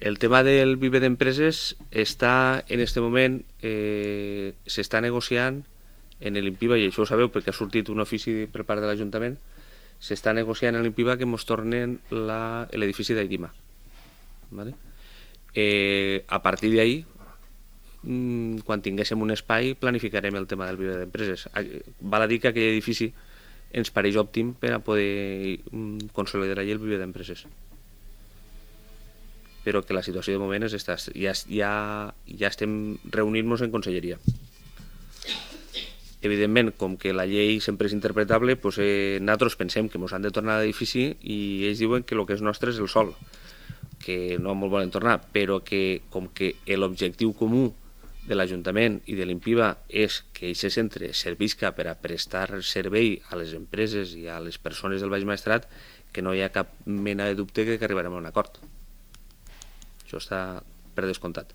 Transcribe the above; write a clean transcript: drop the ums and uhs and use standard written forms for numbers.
El tema del Vive d'Empreses està, en este moment, s'està negociant en l'IMPIBA, i això ho sabeu perquè ha sortit un ofici per part de l'Ajuntament, s'està negociant en l'IMPIBA que ens tornen l'edifici d'Aidima. ¿Vale? A partir d'ahí, quan tinguéssim un espai, planificarem el tema del Vive d'Empreses. Val a dir que aquell edifici ens pareix òptim per a poder consolidar allà el Vive d'Empreses, però que la situació de moment és esta. Ja estem reunint-nos en conselleria. Evidentment, com que la llei sempre és interpretable, doncs, nosaltres pensem que ens han de tornar a l'edifici i ells diuen que el que és nostre és el sol, que no ens volen tornar, però que com que l'objectiu comú de l'Ajuntament i de l'IMPIBA és que aquest centre servisca per a prestar servei a les empreses i a les persones del Baix Maestrat, que no hi ha cap mena de dubte que arribarem a un acord. Això està per descomptat.